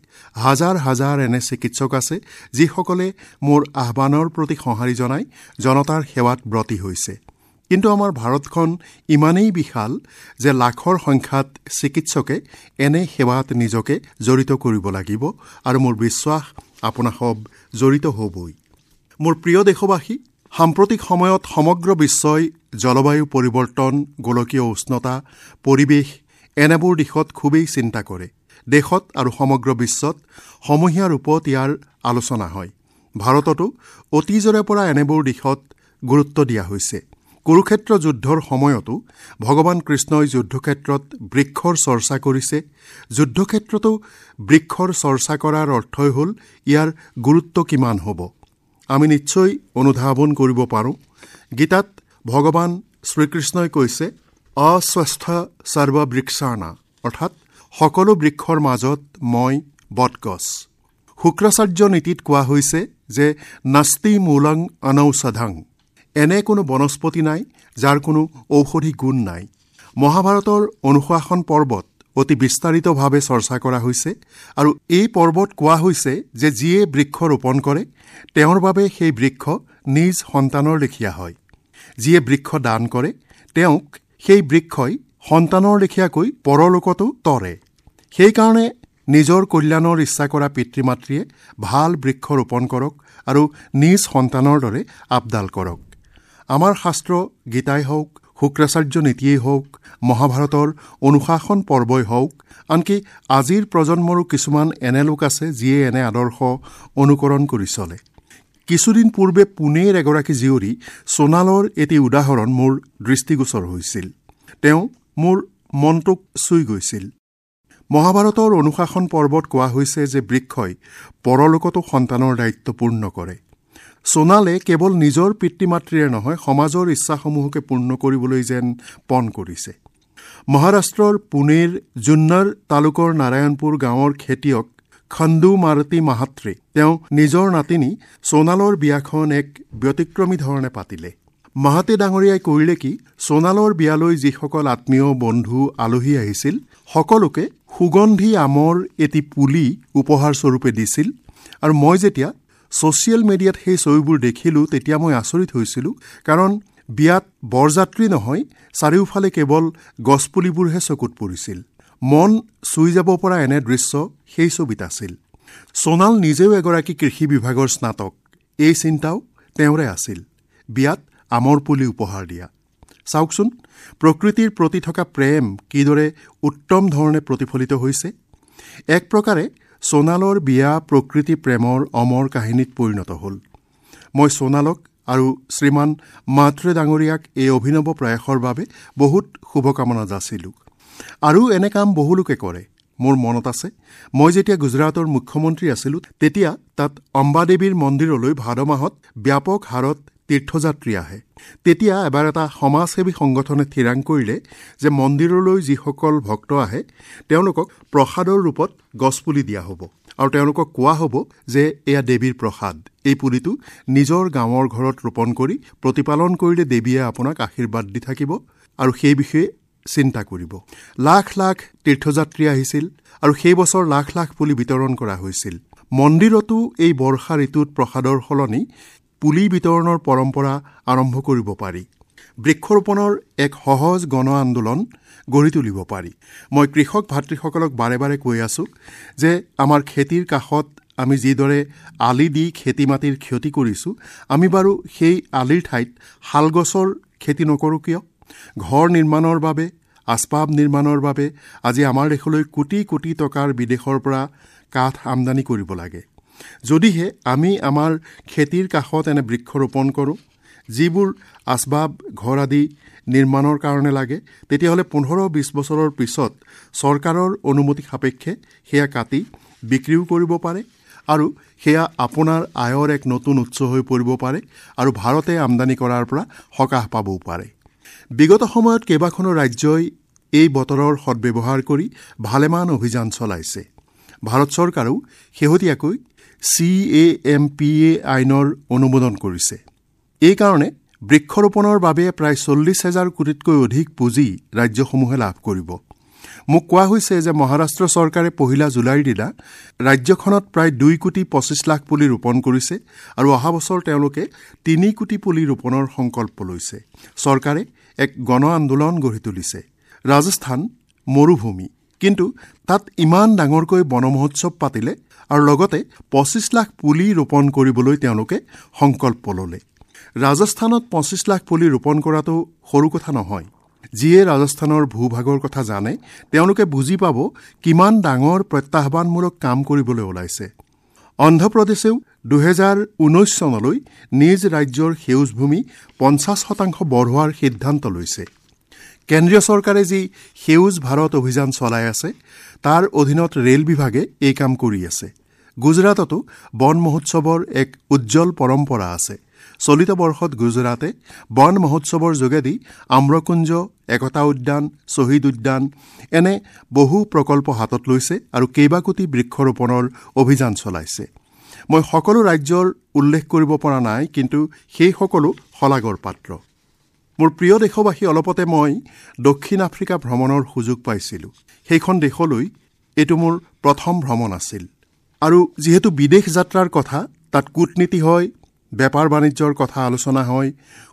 হাজাৰ হাজাৰ এনে চিকিৎসক আছে যিসকলে মোৰ আহ্বানৰ প্ৰতি সঁহাৰি জনাই জনতাৰ সেৱাত ব্ৰতী হৈছে। কিন্তু আমাৰ ভাৰতখন ইমানেই বিশাল যে লাখৰ সংখ্যাত চিকিৎসকে এনে সেৱাত নিজকে জড়িত কৰিব লাগিব আৰু মোৰ বিশ্বাস আপোনাসব জড়িত হ'বই। মোৰ প্ৰিয় দেশবাসী, সাম্প্ৰতিক সময়ত সমগ্ৰ বিশ্বই জলবায়ু পৰিৱৰ্তন, গোলকীয় উষ্ণতা, পৰিৱেশ এনেবোৰ দিশত খুবেই চিন্তা কৰে। দেশত আৰু সমগ্ৰ বিশ্বত সমূহীয়া ৰূপত ইয়াৰ আলোচনা হয়। ভাৰততো অতীজৰে পৰা এনেবোৰ দিশত গুৰুত্ব দিয়া হৈছে। কুৰুক্ষেত্ৰ যুদ্ধৰ সময়তো ভগৱান কৃষ্ণই যুদ্ধক্ষেত্ৰত বৃক্ষৰ চৰ্চা কৰিছে। যুদ্ধক্ষেত্ৰতো বৃক্ষৰ চৰ্চা কৰাৰ অৰ্থই হ'ল ইয়াৰ গুৰুত্ব কিমান হ'ব আমি নিশ্চয় অনুধাৱন কৰিব পাৰোঁ। গীতাত ভগৱান শ্ৰীকৃষ্ণই কৈছে, অস্বস্থ সৰ্ববৃক্ষাণা, অৰ্থাৎ সকলো বৃক্ষৰ মাজত মই বটগছ। শুক্ৰাচাৰ্য নীতিত কোৱা হৈছে যে নাস্তি মূলং অনৌষধং, এনে কোনো বনস্পতি নাই যাৰ কোনো ঔষধি গুণ নাই। মহাভাৰতৰ অনুশাসন পৰ্বত অতি বিস্তাৰিতভাৱে চৰ্চা কৰা হৈছে আৰু এই পৰ্বত কোৱা হৈছে যে যিয়ে বৃক্ষ ৰোপণ কৰে তেওঁৰ বাবে সেই বৃক্ষ নিজ সন্তানৰ লেখীয়া হয়, যিয়ে বৃক্ষ দান কৰে তেওঁক সেই বৃক্ষই সন্তানৰ লেখীয়াকৈ পৰলোকতো তৰে। সেইকাৰণে নিজৰ কল্যাণৰ ইচ্ছা কৰা পিতৃ মাতৃয়ে ভাল বৃক্ষ ৰোপণ কৰক আৰু নিজ সন্তানৰ দৰে আপডাল কৰক। আমাৰ শাস্ত্ৰ গীতাই হওক, শুক্ৰাচাৰ্য নীতিয়েই হওক, মহাভাৰতৰ অনুশাসন পৰ্বই হওক, আনকি আজিৰ প্ৰজন্মৰো কিছুমান এনে লোক আছে যিয়ে এনে আদৰ্শ অনুকৰণ কৰি চলে। কিছুদিন পূৰ্বে পুনেৰ এগৰাকী জীয়ৰী সোণালৰ এটি উদাহৰণ মোৰ দৃষ্টিগোচৰ হৈছিল। তেওঁ মোৰ মনটোক চুই গৈছিল। মহাভাৰতৰ অনুশাসন পৰ্বত কোৱা হৈছে যে বৃক্ষই পৰলোকতো সন্তানৰ দায়িত্ব পূৰ্ণ কৰে। সোণালে কেৱল নিজৰ পিতৃ মাতৃৰে নহয়, সমাজৰ ইচ্ছাসমূহকে পূৰ্ণ কৰিবলৈ যেন পণ কৰিছে। মহাৰাষ্ট্ৰৰ পুনেৰ জুন্নাৰ তালুকৰ নাৰায়ণপুৰ গাঁৱৰ খেতিয়ক খন্দু মাৰুতি মাহাত্ৰে তেওঁ নিজৰ নাতিনী সোণালৰ বিয়াখন এক ব্যতিক্ৰমী ধৰণে পাতিলে। মাহাতে ডাঙৰীয়াই কৰিলে কি, সোণালৰ বিয়ালৈ যিসকল আত্মীয় বন্ধু আলহী আহিছিল সকলোকে সুগন্ধি আমৰ এটি পুলি উপহাৰস্বৰূপে দিছিল। আৰু মই যেতিয়া ছ'চিয়েল মিডিয়াত সেই ছবিবোৰ দেখিলোঁ তেতিয়া মই আচৰিত হৈছিলোঁ, কাৰণ বিয়াত বৰযাত্ৰী নহয়, চাৰিওফালে কেৱল গছপুলিবোৰহে চকুত পৰিছিল। মন চুই যাব পৰা এনে দৃশ্য সেই ছবিত আছিল। সোণাল নিজেও এগৰাকী কৃষি বিভাগৰ স্নাতক, এই চিন্তাও তেওঁৰে আছিল, বিয়াত আমৰ পুলি উপহাৰ দিয়া। চাওকচোন, প্ৰকৃতিৰ প্ৰতি থকা প্ৰেম কিদৰে উত্তম ধৰণে প্ৰতিফলিত হৈছে। এক প্ৰকাৰে সোণালৰ বিয়া প্ৰকৃতি প্ৰেমৰ অমৰ কাহিনীত পৰিণত হ'ল। মই সোণালক আৰু শ্ৰীমান মাত্ৰে ডাঙৰীয়াক এই অভিনৱ প্ৰয়াসৰ বাবে বহুত শুভকামনা যাচিলোঁ। আৰু এনে কাম বহুলোকে কৰে। মোৰ মনত আছে, মই যেতিয়া গুজৰাটৰ মুখ্যমন্ত্ৰী আছিলোঁ তেতিয়া তাত অম্বাদেৱীৰ মন্দিৰলৈ ভাদ মাহত ব্যাপক হাৰত তীৰ্থযাত্ৰী আহে। তেতিয়া এবাৰ এটা সমাজসেৱী সংগঠনে থিৰাং কৰিলে যে মন্দিৰলৈ যিসকল ভক্ত আহে তেওঁলোকক প্ৰসাদৰ ৰূপত গছপুলি দিয়া হ'ব আৰু তেওঁলোকক কোৱা হ'ব যে এয়া দেৱীৰ প্ৰসাদ, এই পুলিটো নিজৰ গাঁৱৰ ঘৰত ৰোপণ কৰি প্ৰতিপালন কৰিলে দেৱীয়ে আপোনাক আশীৰ্বাদ দি থাকিব আৰু সেই বিষয়ে চিন্তা কৰিব। লাখ লাখ তীৰ্থযাত্ৰী আহিছিল আৰু সেই বছৰ লাখ লাখ পুলি বিতৰণ কৰা হৈছিল। মন্দিৰতো এই বৰ্ষা ঋতুত প্ৰসাদৰ সলনি পুলি বিতৰণৰ পৰম্পৰা আৰম্ভ কৰিব পাৰি। বৃক্ষৰোপণৰ এক সহজ গণ আন্দোলন গঢ়ি তুলিব পাৰি। মই কৃষক ভাতৃসকলক বাৰে বাৰে কৈ আছোঁ যে আমাৰ খেতিৰ কাষত আমি যিদৰে আলি দি খেতি মাটিৰ ক্ষতি কৰিছোঁ, আমি বাৰু সেই আলিৰ ঠাইত শালগছৰ খেতি নকৰোঁ কিয়? ঘৰ নিৰ্মাণৰ বাবে, আচবাব নিৰ্মাণৰ বাবে আজি আমাৰ দেশলৈ কোটি কোটি টকাৰ বিদেশৰ পৰা কাঠ আমদানি কৰিব লাগে। যদিহে আমি আমাৰ খেতিৰ কাষত এনে বৃক্ষৰোপণ কৰোঁ যিবোৰ আচবাব ঘৰ আদি নিৰ্মাণৰ কাৰণে লাগে, তেতিয়াহ'লে 15-20 বছৰৰ পিছত চৰকাৰৰ অনুমতি সাপেক্ষে সেয়া কাটি বিক্ৰীও কৰিব পাৰে আৰু সেয়া আপোনাৰ আয়ৰ এক নতুন উৎস হৈ পৰিব পাৰে আৰু ভাৰতে আমদানি কৰাৰ পৰা সকাহ পাবও পাৰে। বিগত সময়ত কেইবাখনো ৰাজ্যই এই বতৰৰ সদ্ব্যৱহাৰ কৰি ভালেমান অভিযান চলাইছে। ভাৰত চৰকাৰেও শেহতীয়াকৈ CAMPA আইনৰ অনুমোদন কৰিছে। এই কাৰণে বৃক্ষৰোপণৰ বাবে প্ৰায় 40,000 কোটিতকৈ অধিক পুঁজি ৰাজ্যসমূহে লাভ কৰিব। মোক কোৱা হৈছে যে মহাৰাষ্ট্ৰ চৰকাৰে 1 জুলাইৰ দিনা ৰাজ্যখনত প্ৰায় 2,25,00,000 পুলি ৰোপণ কৰিছে আৰু অহা বছৰ তেওঁলোকে 3 কোটি পুলি ৰোপণৰ সংকল্প লৈছে। চৰকাৰে এক গণ আন্দোলন গঢ়ি তুলিছে। ৰাজস্থান মৰুভূমি, কিন্তু তাত ইমান ডাঙৰকৈ বন মহোৎসৱ পাতিলে আৰু লগতে 25 লাখ পুলি ৰোপণ কৰিবলৈ তেওঁলোকে সংকল্প ল'লে। ৰাজস্থানত 25 লাখ পুলি ৰোপণ কৰাটো সৰু কথা নহয়। যিয়ে ৰাজস্থানৰ ভূভাগৰ কথা জানে তেওঁলোকে বুজি পাব কিমান ডাঙৰ প্ৰত্যাহ্বানমূলক কাম কৰিবলৈ ওলাইছে। অন্ধ্ৰপ্ৰদেশেও 2019 চনলৈ নিজ ৰাজ্যৰ সেউজভূমি 50% বঢ়োৱাৰ সিদ্ধান্ত লৈছে। কেন্দ্ৰীয় চৰকাৰে যি সেউজ ভাৰত অভিযান চলাই আছে তাৰ অধীনত ৰেল বিভাগে এই কাম কৰি আছে। গুজৰাটতো বন মহোৎসৱৰ এক উজ্জ্বল পৰম্পৰা আছে। চলিত বৰ্ষত গুজৰাটে বন মহোৎসৱৰ যোগেদি আম্ৰকুঞ্জ, একতা উদ্যান, শ্বহীদ উদ্যান এনে বহু প্ৰকল্প হাতত লৈছে আৰু কেইবা কোটি বৃক্ষৰোপণৰ অভিযান চলাইছে। মই সকলো ৰাজ্যৰ উল্লেখ কৰিব পৰা নাই, কিন্তু সেই সকলো শলাগৰ পাত্ৰ। মোৰ প্ৰিয় দেশবাসী, অলপতে মই দক্ষিণ আফ্ৰিকা ভ্ৰমণৰ সুযোগ পাইছিলোঁ। সেইখন দেশলৈ এইটো মোৰ প্ৰথম ভ্ৰমণ আছিল আৰু যিহেতু বিদেশ যাত্ৰাৰ কথা, তাত কূটনীতি হয়, বেপাৰ বাণিজ্যৰ কথা আলোচনা হয়,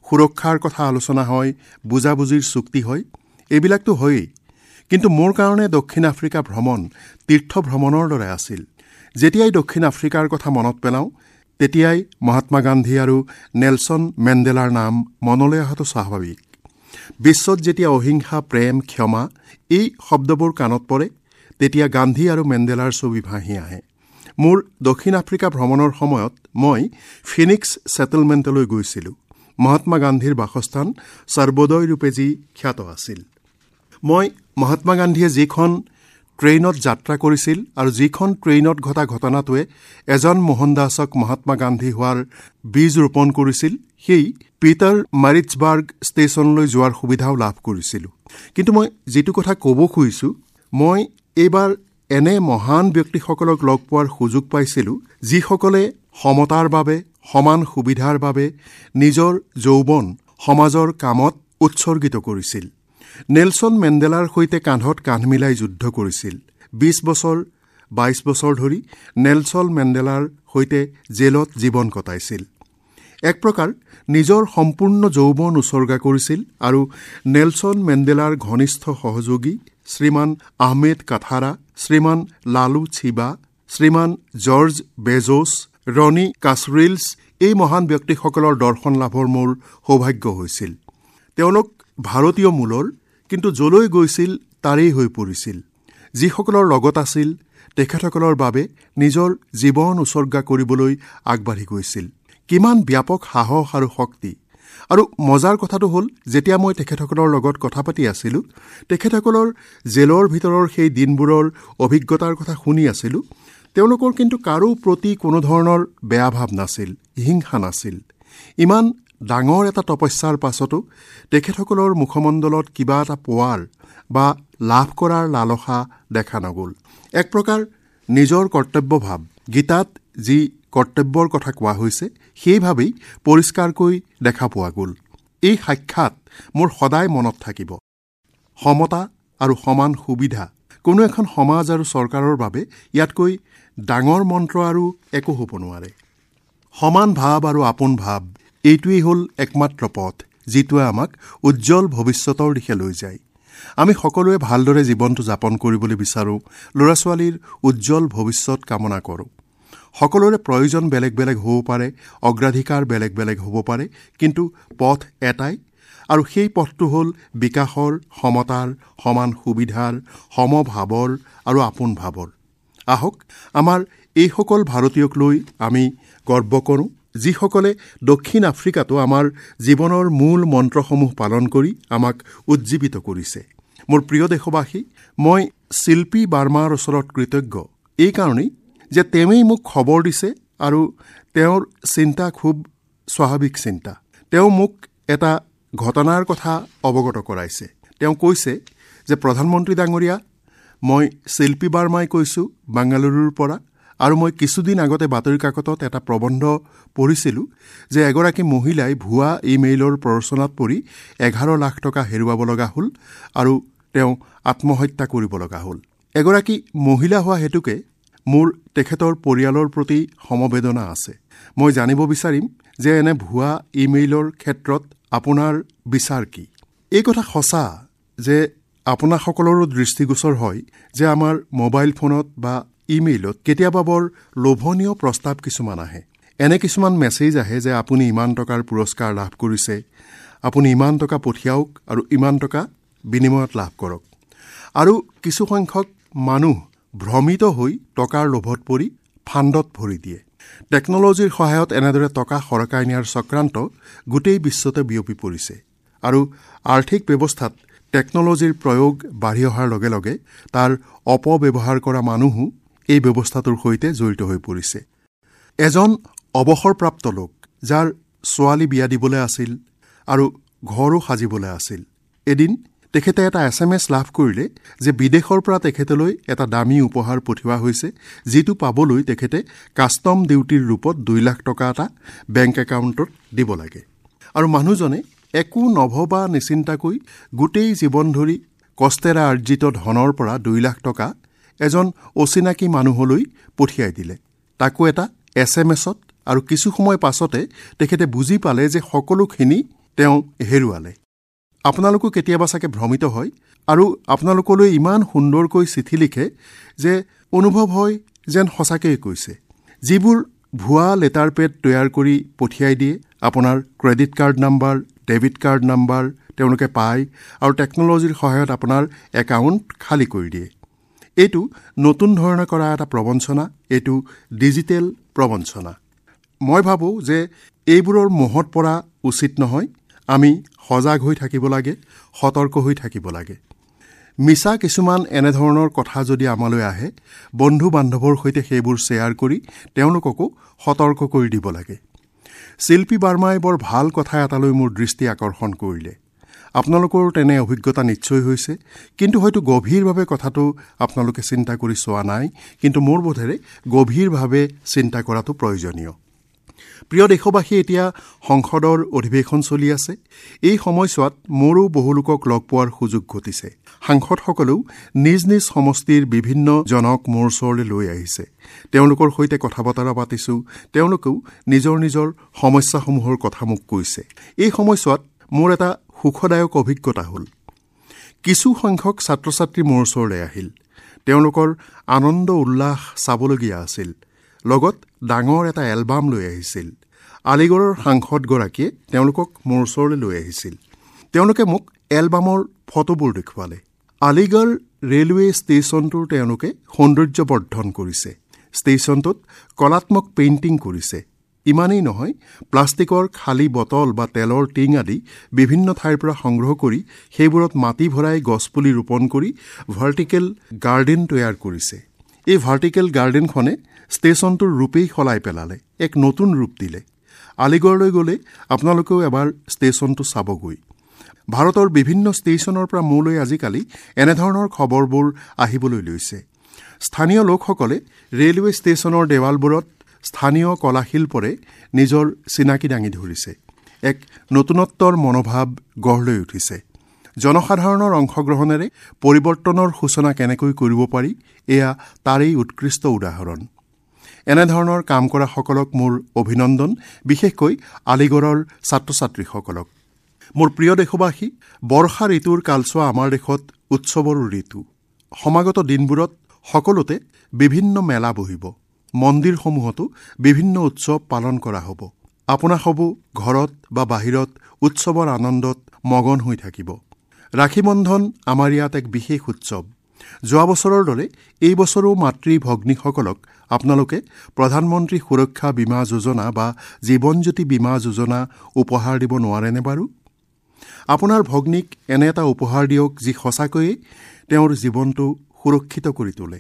সুৰক্ষাৰ কথা আলোচনা হয়, বুজাবুজিৰ চুক্তি হয়, এইবিলাকতো হয়েই। কিন্তু মোৰ কাৰণে দক্ষিণ আফ্ৰিকা ভ্ৰমণ তীৰ্থ ভ্ৰমণৰ দৰে আছিল। যেতিয়াই দক্ষিণ আফ্ৰিকাৰ কথা মনত পেলাওঁ তেতিয়াই মহাত্মা গান্ধী আৰু নেলছন মেণ্ডেলাৰ নাম মনলৈ অহাটো স্বাভাৱিক। বিশ্বত যেতিয়া অহিংসা, প্ৰেম, ক্ষমা এই শব্দবোৰ কাণত পৰে তেতিয়া গান্ধী আৰু মেণ্ডেলাৰ ছবি ভাঁহি আহে। মোৰ দক্ষিণ আফ্ৰিকা ভ্ৰমণৰ সময়ত মই ফিনিক্স ছেটেলমেণ্টলৈ গৈছিলোঁ। মহাত্মা গান্ধীৰ বাসস্থান সৰ্বোদয় ৰূপে যি খ্যাত আছিল। মই মহাত্মা গান্ধীয়ে যিখন ট্ৰেইনত যাত্ৰা কৰিছিল আৰু যিখন ট্ৰেইনত ঘটা ঘটনাটোৱে এজন মোহনদাসক মহাত্মা গান্ধী হোৱাৰ বীজ ৰোপণ কৰিছিল, সেই পিটাৰ মাৰিটছবাৰ্গ ষ্টেচনলৈ যোৱাৰ সুবিধাও লাভ কৰিছিলোঁ। কিন্তু মই যিটো কথা ক'ব খুজিছোঁ, মই এইবাৰ এনে মহান ব্যক্তিসকলক লগ পোৱাৰ সুযোগ পাইছিলোঁ যিসকলে সমতাৰ বাবে, সমান সুবিধাৰ বাবে নিজৰ যৌৱন সমাজৰ কামত উৎসৰ্গিত কৰিছিল। নেলছন মেণ্ডেলাৰ সৈতে কান্ধত কান্ধ মিলাই যুদ্ধ কৰিছিল। 20 বছৰ 22 বছৰ ধৰি নেলছন মেণ্ডেলাৰ সৈতে জেলত জীৱন কটাইছিল। এক প্ৰকাৰ নিজৰ সম্পূৰ্ণ যৌৱন উৎসৰ্গা কৰিছিল আৰু নেলছন মেণ্ডেলাৰ ঘনিষ্ঠ সহযোগী শ্ৰীমান আহমেদ কাথাৰা, শ্ৰীমান লালু ছিবা, শ্ৰীমান জৰ্জ বেজোছ, ৰণী কাছৰিলছ এই মহান ব্যক্তিসকলৰ দৰ্শন লাভৰ মোৰ সৌভাগ্য হৈছিল। তেওঁলোক ভাৰতীয় মূলৰ, কিন্তু য'লৈ গৈছিল তাৰেই হৈ পৰিছিল। যিসকলৰ লগত আছিল তেখেতসকলৰ বাবে নিজৰ জীৱন উৎসৰ্গা কৰিবলৈ আগবাঢ়ি গৈছিল। কিমান ব্যাপক সাহস আৰু শক্তি! আৰু মজাৰ কথাটো হ'ল, যেতিয়া মই তেখেতসকলৰ লগত কথা পাতি আছিলোঁ, তেখেতসকলৰ জেলৰ ভিতৰৰ সেই দিনবোৰৰ অভিজ্ঞতাৰ কথা শুনি আছিলোঁ, তেওঁলোকৰ কিন্তু কাৰো প্ৰতি কোনো ধৰণৰ বেয়া ভাৱ নাছিল, হিংসা নাছিল। ইমান ডাঙৰ এটা তপস্যাৰ পাছতো তেখেতসকলৰ মুখমণ্ডলত কিবা এটা পোৱাৰ বা লাভ কৰাৰ লালসা দেখা নগ'ল। এক প্ৰকাৰ নিজৰ কৰ্তব্যভাৱ, গীতাত যি কৰ্তব্যৰ কথা কোৱা হৈছে সেইভাৱেই পৰিষ্কাৰকৈ দেখা পোৱা গ'ল। এই সাক্ষাৎ মোৰ সদায় মনত থাকিব। সমতা আৰু সমান সুবিধা কোনো এখন সমাজ আৰু চৰকাৰৰ বাবে ইয়াতকৈ ডাঙৰ মন্ত্ৰ আৰু একো হ'ব নোৱাৰে। সমান ভাৱ আৰু আপোন ভাৱ, এইটোৱেই হ'ল একমাত্ৰ পথ যিটোৱে আমাক উজ্জ্বল ভৱিষ্যতৰ দিশে লৈ যায়। আমি সকলোৱে ভালদৰে জীৱনটো যাপন কৰিবলৈ বিচাৰোঁ, ল'ৰা ছোৱালীৰ উজ্জ্বল ভৱিষ্যত কামনা কৰোঁ। সকলোৰে প্ৰয়োজন বেলেগ বেলেগ হ'ব পাৰে, অগ্ৰাধিকাৰ বেলেগ বেলেগ হ'ব পাৰে, কিন্তু পথ এটাই আৰু সেই পথটো হ'ল বিকাশৰ, সমতাৰ, সমান সুবিধাৰ, সমভাৱৰ আৰু আপোন ভাৱৰ। আহক আমাৰ এইসকল ভাৰতীয়ক লৈ আমি গৰ্ব কৰোঁ যিসকলে দক্ষিণ আফ্ৰিকাতো আমাৰ জীৱনৰ মূল মন্ত্ৰসমূহ পালন কৰি আমাক উজ্জীৱিত কৰিছে। মোৰ প্ৰিয় দেশবাসী, মই শিল্পী বাৰ্মাৰ ওচৰত কৃতজ্ঞ এইকাৰণেই যে তেওঁৱেই মোক খবৰ দিছে আৰু তেওঁৰ চিন্তা খুব স্বাভাৱিক চিন্তা। তেওঁ মোক এটা ঘটনাৰ কথা অৱগত কৰাইছে। তেওঁ কৈছে যে প্ৰধানমন্ত্ৰী ডাঙৰীয়া, মই শিল্পী বাৰ্মাই কৈছোঁ বাংগালুৰুৰ পৰা, আৰু মই কিছুদিন আগতে বাতৰি কাকতত এটা প্ৰবন্ধ পঢ়িছিলোঁ যে এগৰাকী মহিলাই ভুৱা ইমেইলৰ প্ৰৰোচনাত পৰি 11 লাখ টকা হেৰুৱাব লগা হ'ল আৰু তেওঁ আত্মহত্যা কৰিব লগা হ'ল। এগৰাকী মহিলা হোৱা হেতুকে মোৰ তেখেতৰ পৰিয়ালৰ প্ৰতি সমবেদনা আছে। মই জানিব বিচাৰিম যে এনে ভুৱা ইমেইলৰ ক্ষেত্ৰত আপোনাৰ বিচাৰ কি? এই কথা সঁচা যে আপোনাসকলৰো দৃষ্টিগোচৰ হয় যে আমাৰ মোবাইল ফোনত বা ইমেইলত কেতিয়াবা বৰ লোভনীয় প্ৰস্তাৱ কিছুমান আহে। এনে কিছুমান মেছেজ আহে যে আপুনি ইমান টকাৰ পুৰস্কাৰ লাভ কৰিছে, আপুনি ইমান টকা পঠিয়াওক আৰু ইমান টকা বিনিময়ত লাভ কৰক। আৰু কিছুসংখ্যক মানুহ ভ্ৰমিত হৈ টকাৰ লোভত পৰি ফাণ্ডত ভৰি দিয়ে। টেকন'লজিৰ সহায়ত এনেদৰে টকা সৰকাই নিয়াৰ চক্ৰান্ত গোটেই বিশ্বতে বিয়পি পৰিছে আৰু আৰ্থিক ব্যৱস্থাত টেকন'লজিৰ প্ৰয়োগ বাঢ়ি অহাৰ লগে লগে তাৰ অপব্যৱহাৰ কৰা মানুহো এই ব্যৱস্থাটোৰ সৈতে জড়িত হৈ পৰিছে। এজন অৱসৰপ্ৰাপ্ত লোক, যাৰ ছোৱালী বিয়া দিবলৈ আছিল আৰু ঘৰো সাজিবলৈ আছিল, এদিন তেখেতে এটা SMS লাভ কৰিলে যে বিদেশৰ পৰা তেখেতলৈ এটা দামী উপহাৰ পঠিওৱা হৈছে, যিটো পাবলৈ তেখেতে কাষ্টম ডিউটিৰ ৰূপত 2 লাখ টকা এটা বেংক একাউণ্টত দিব লাগে। আৰু মানুহজনে একো নভবা নিচিন্তাকৈ গোটেই জীৱন ধৰি কষ্টেৰে আৰ্জিত ধনৰ পৰা 2 লাখ টকা এজন অচিনাকি মানুহলৈ পঠিয়াই দিলে, তাকো এটা SMSত। আৰু কিছু সময় পাছতে তেখেতে বুজি পালে যে সকলোখিনি তেওঁ হেৰুৱালে। আপোনালোকো কেতিয়াবা চাগে ভ্ৰমিত হয় আৰু আপোনালোকলৈ ইমান সুন্দৰকৈ চিঠি লিখে যে অনুভৱ হয় যেন সঁচাকৈয়ে কৈছে। যিবোৰ ভুৱা লেটাৰ পেড তৈয়াৰ কৰি পঠিয়াই দিয়ে, আপোনাৰ credit card number, debit card number তেওঁলোকে পায় আৰু টেকন'লজিৰ সহায়ত আপোনাৰ একাউণ্ট খালী কৰি দিয়ে। এইটো নতুন ধৰণে কৰা এটা প্ৰবঞ্চনা, এইটো ডিজিটেল প্ৰবঞ্চনা। মই ভাবোঁ যে এইবোৰৰ মোহত পৰা উচিত নহয়। আমি সজাগ হৈ থাকিব লাগে, সতৰ্ক হৈ থাকিব লাগে। মিছা কিছুমান এনেধৰণৰ কথা যদি আমালৈ আহে, বন্ধু বান্ধৱৰ সৈতে সেইবোৰ শ্বেয়াৰ কৰি তেওঁলোককো সতৰ্ক কৰি দিব লাগে। শিল্পী বাৰ্মাই বৰ ভাল কথা এটালৈ মোৰ দৃষ্টি আকৰ্ষণ কৰিলে। আপোনালোকৰো তেনে অভিজ্ঞতা নিশ্চয় হৈছে, কিন্তু হয়তো গভীৰভাৱে কথাটো আপোনালোকে চিন্তা কৰি চোৱা নাই, কিন্তু মোৰ বোধেৰে গভীৰভাৱে চিন্তা কৰাটো প্ৰয়োজনীয়। প্ৰিয় দেশবাসী, এতিয়া সংসদৰ অধিৱেশন চলি আছে। এই সময়ছোৱাত মোৰো বহু লোকক লগ পোৱাৰ সুযোগ ঘটিছে। সাংসদসকলেও নিজ নিজ সমষ্টিৰ বিভিন্ন জনক মোৰ ওচৰলৈ লৈ আহিছে। তেওঁলোকৰ সৈতে কথা বতৰা পাতিছোঁ, তেওঁলোকেও নিজৰ নিজৰ সমস্যাসমূহৰ কথা মোক কৈছে। এই সময়ছোৱাত মোৰ এটা সুখদায়ক অভিজ্ঞতা হ'ল। কিছু সংখ্যক ছাত্ৰ ছাত্ৰী মোৰ ওচৰলৈ আহিল। তেওঁলোকৰ আনন্দ উল্লাস চাবলগীয়া আছিল। লগত ডাঙৰ এটা এলবাম লৈ আহিছিল। আলিগড়ৰ সাংসদগৰাকীয়ে তেওঁলোকক মোৰ ওচৰলৈ লৈ আহিছিল। তেওঁলোকে মোক এলবামৰ ফটোবোৰ দেখুৱালে। আলিগড় ৰেলৱে ষ্টেচনটোৰ তেওঁলোকে সৌন্দৰ্যবৰ্ধন কৰিছে। ষ্টেচনটোত কলাত্মক পেইণ্টিং কৰিছে। ইমানেই নহয়, প্লাষ্টিকৰ খালী বটল বা তেলৰ টিং আদি বিভিন্ন ঠাইৰ পৰা সংগ্ৰহ কৰি সেইবোৰত মাটি ভৰাই গছপুলি ৰোপণ কৰি ভাৰ্টিকেল গাৰ্ডেন তৈয়াৰ কৰিছে। এই ভাৰ্টিকেল গাৰ্ডেনখনে ষ্টেচনটোৰ ৰূপেই সলাই পেলালে, এক নতুন ৰূপ দিলে। আলিগড়লৈ গ'লে আপোনালোকেও এবাৰ ষ্টেচনটো চাবগৈ। ভাৰতৰ বিভিন্ন ষ্টেচনৰ পৰা মোলৈ আজিকালি এনেধৰণৰ খবৰবোৰ আহিবলৈ লৈছে। স্থানীয় লোকসকলে ৰেলৱে ষ্টেচনৰ দেৱালবোৰত স্থানীয় কলাশিল্পৰে নিজৰ চিনাকি দাঙি ধৰিছে। এক নতুনত্বৰ মনোভাৱ গঢ় লৈ উঠিছে। জনসাধাৰণৰ অংশগ্ৰহণেৰে পৰিৱৰ্তনৰ সূচনা কেনেকৈ কৰিব পাৰি, এয়া তাৰেই উৎকৃষ্ট উদাহৰণ। এনেধৰণৰ কাম কৰাসকলক মোৰ অভিনন্দন, বিশেষকৈ আলিগড়ৰ ছাত্ৰ ছাত্ৰীসকলক। মোৰ প্ৰিয় দেশবাসী, বৰ্ষা ঋতুৰ কালচোৱা আমাৰ দেশত উৎসৱৰো ঋতু। সমাগত দিনবোৰত সকলোতে বিভিন্ন মেলা বহিব। মন্দিৰসমূহতো বিভিন্ন উৎসৱ পালন কৰা হ'ব। আপোনাসবো ঘৰত বা বাহিৰত উৎসৱৰ আনন্দত মগন হৈ থাকিব। ৰাখী বন্ধন আমাৰ ইয়াত এক বিশেষ উৎসৱ। যোৱা বছৰৰ দৰে এই বছৰো মাতৃ ভগ্নীসকলক আপোনালোকে প্ৰধানমন্ত্ৰী সুৰক্ষা বীমা যোজনা বা জীৱনজ্যোতি বীমা যোজনা উপহাৰ দিব নোৱাৰেনে বাৰু? আপোনাৰ ভগ্নীক এনে এটা উপহাৰ দিয়ক যি সঁচাকৈয়ে তেওঁৰ জীৱনটো সুৰক্ষিত কৰি তোলে।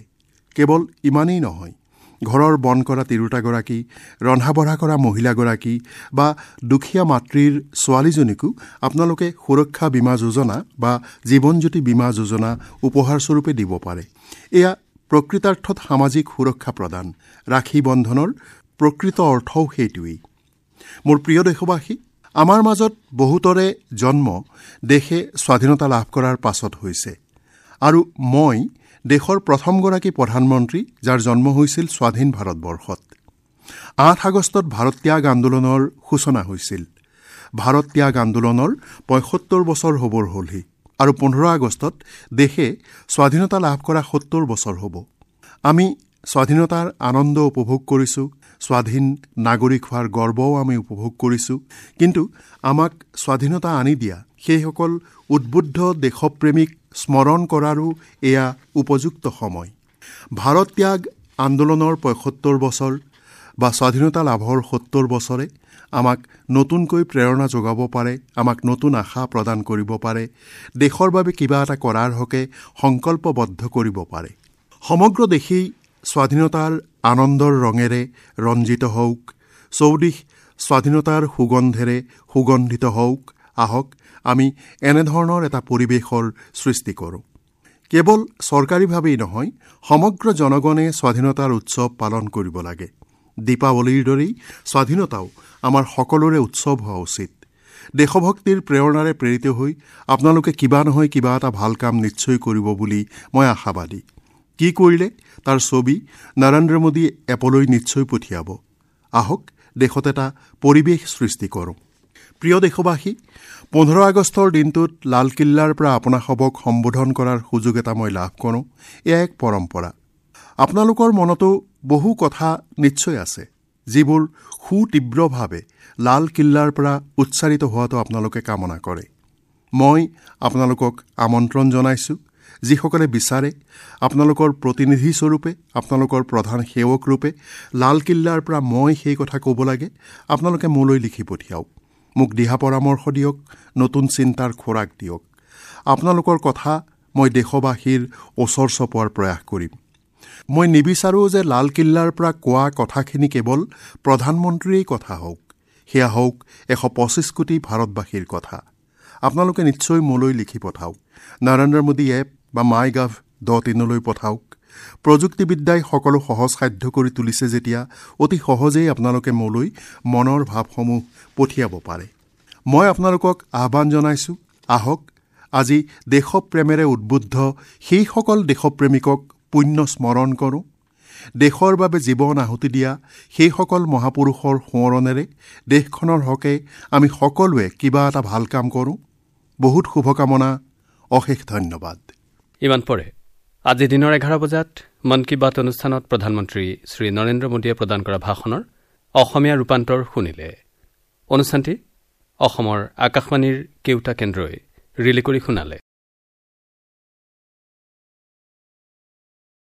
কেৱল ইমানেই নহয়, ঘৰৰ বন কৰা তিৰোতাগৰাকী, ৰন্ধা বঢ়া কৰা মহিলাগৰাকী বা দুখীয়া মাতৃৰ ছোৱালীজনীকো আপোনালোকে সুৰক্ষা বীমা যোজনা বা জীৱনজ্যোতি বীমা যোজনা উপহাৰস্বৰূপে দিব পাৰে। এয়া প্ৰকৃতাৰ্থত সামাজিক সুৰক্ষা প্ৰদান। ৰাখী বন্ধনৰ প্ৰকৃত অৰ্থও সেইটোৱেই। মোৰ প্ৰিয় দেশবাসী, আমাৰ মাজত বহুতৰে জন্ম দেশে স্বাধীনতা লাভ কৰাৰ পাছত হৈছে আৰু মই দেশৰ প্ৰথমগৰাকী প্ৰধানমন্ত্ৰী যাৰ জন্ম হৈছিল স্বাধীন ভাৰতবৰ্ষত। ৮ আগষ্টত ভাৰত ত্যাগ আন্দোলনৰ সূচনা হৈছিল। ভাৰত ত্যাগ আন্দোলনৰ ৭৫ বছৰ হ'বৰ হ'লহি আৰু ১৫ আগষ্টত দেশে স্বাধীনতা লাভ কৰা ৭০ বছৰ হ'ব। আমি স্বাধীনতাৰ আনন্দ উপভোগ কৰিছোঁ, স্বাধীন নাগৰিক হোৱাৰ গৰ্বও আমি উপভোগ কৰিছোঁ, কিন্তু আমাক স্বাধীনতা আনি দিয়া সেইসকল উদ্বুদ্ধ দেশপ্ৰেমিক স্মৰণ কৰাৰো এয়া উপযুক্ত সময়। ভাৰত ত্যাগ আন্দোলনৰ ৭৫ বছৰ বা স্বাধীনতা লাভৰ ৭০ বছৰে আমাক নতুনকৈ প্ৰেৰণা যোগাব পাৰে, আমাক নতুন আশা প্ৰদান কৰিব পাৰে, দেশৰ বাবে কিবা এটা কৰাৰ হকে সংকল্পবদ্ধ কৰিব পাৰে। সমগ্ৰ দেশেই স্বাধীনতাৰ আনন্দৰ ৰঙেৰে ৰঞ্জিত হওক, চৌদিশ স্বাধীনতাৰ সুগন্ধেৰে সুগন্ধিত হওক। আহক আমি এনেধৰণৰ এটা পৰিৱেশৰ সৃষ্টি কৰোঁ। কেৱল চৰকাৰীভাৱেই নহয়, সমগ্ৰ জনগণে স্বাধীনতাৰ উৎসৱ পালন কৰিব লাগে। দীপাৱলীৰ দৰেই স্বাধীনতাও আমাৰ সকলোৰে উৎসৱ হোৱা উচিত। দেশভক্তিৰ প্ৰেৰণাৰে প্ৰেৰিত হৈ আপোনালোকে কিবা নহয় কিবা এটা ভাল কাম নিশ্চয় কৰিব বুলি মই আশাবাদী। কি কৰিলে তাৰ ছবি নৰেন্দ্ৰ মোদী এপলৈ নিশ্চয় পঠিয়াব। আহক দেশত এটা পৰিৱেশ সৃষ্টি কৰোঁ। প্ৰিয় দেশবাসী, ১৫ আগষ্টৰ দিনটোত লালকিল্লাৰ পৰা আপোনাসবক সম্বোধন কৰাৰ সুযোগ এটা মই লাভ কৰোঁ। এয়া এক পৰম্পৰা। আপোনালোকৰ মনতো বহু কথা নিশ্চয় আছে যিবোৰ সুতীব্ৰভাৱে লালকিল্লাৰ পৰা উচ্চাৰিত হোৱাটো আপোনালোকে কামনা কৰে। মই আপোনালোকক আমন্ত্ৰণ জনাইছোঁ, যিসকলে বিচাৰে আপোনালোকৰ প্ৰতিনিধিস্বৰূপে, আপোনালোকৰ প্ৰধান সেৱক ৰূপে লালকিল্লাৰ পৰা মই সেই কথা ক'ব লাগে, আপোনালোকে মোলৈ লিখি পঠিয়াওক। মোক দিহা পৰামৰ্শ দিয়ক, নতুন চিন্তাৰ খোৰাক দিয়ক। আপোনালোকৰ কথা মই দেশবাসীৰ ওচৰ চপোৱাৰ প্ৰয়াস কৰিম। মই নিবিচাৰোঁ যে লালকিল্লাৰ পৰা কোৱা কথাখিনি কেৱল প্ৰধানমন্ত্ৰীৰেই কথা হওক, সেয়া হওক ১২৫ কোটি ভাৰতবাসীৰ কথা। আপোনালোকে নিশ্চয় মোলৈ লিখি পঠাওক, নৰেন্দ্ৰ মোদী এপ বা মাই গভ .ইনলৈ পঠাওক। প্ৰযুক্তিবিদ্যাই সকলো সহজসাধ্য কৰি তুলিছে যেতিয়া অতি সহজেই আপোনালোকে মোলৈ মনৰ ভাৱসমূহ পঠিয়াব পাৰে। মই আপোনালোকক আহ্বান জনাইছোঁ, আহক আজি দেশপ্ৰেমেৰে উদ্বুদ্ধ সেইসকল দেশপ্ৰেমিকক পুণ্য স্মৰণ কৰোঁ। দেশৰ বাবে জীৱন আহুতি দিয়া সেইসকল মহাপুৰুষৰ সোঁৱৰণেৰে দেশখনৰ হকে আমি সকলোৱে কিবা এটা ভাল কাম কৰোঁ। বহুত শুভকামনা, অশেষ ধন্যবাদ। ইমান পৰে আজি দিনৰ ১১ বজাত মন কী বাত অনুষ্ঠানত প্ৰধানমন্ত্ৰী শ্ৰী নৰেন্দ্ৰ মোদীয়ে প্ৰদান কৰা ভাষণৰ অসমীয়া ৰূপান্তৰ শুনিলে। অনুষ্ঠানটি অসমৰ আকাশবাণীৰ কেউটা কেন্দ্ৰই ৰিলে কৰি শুনালে।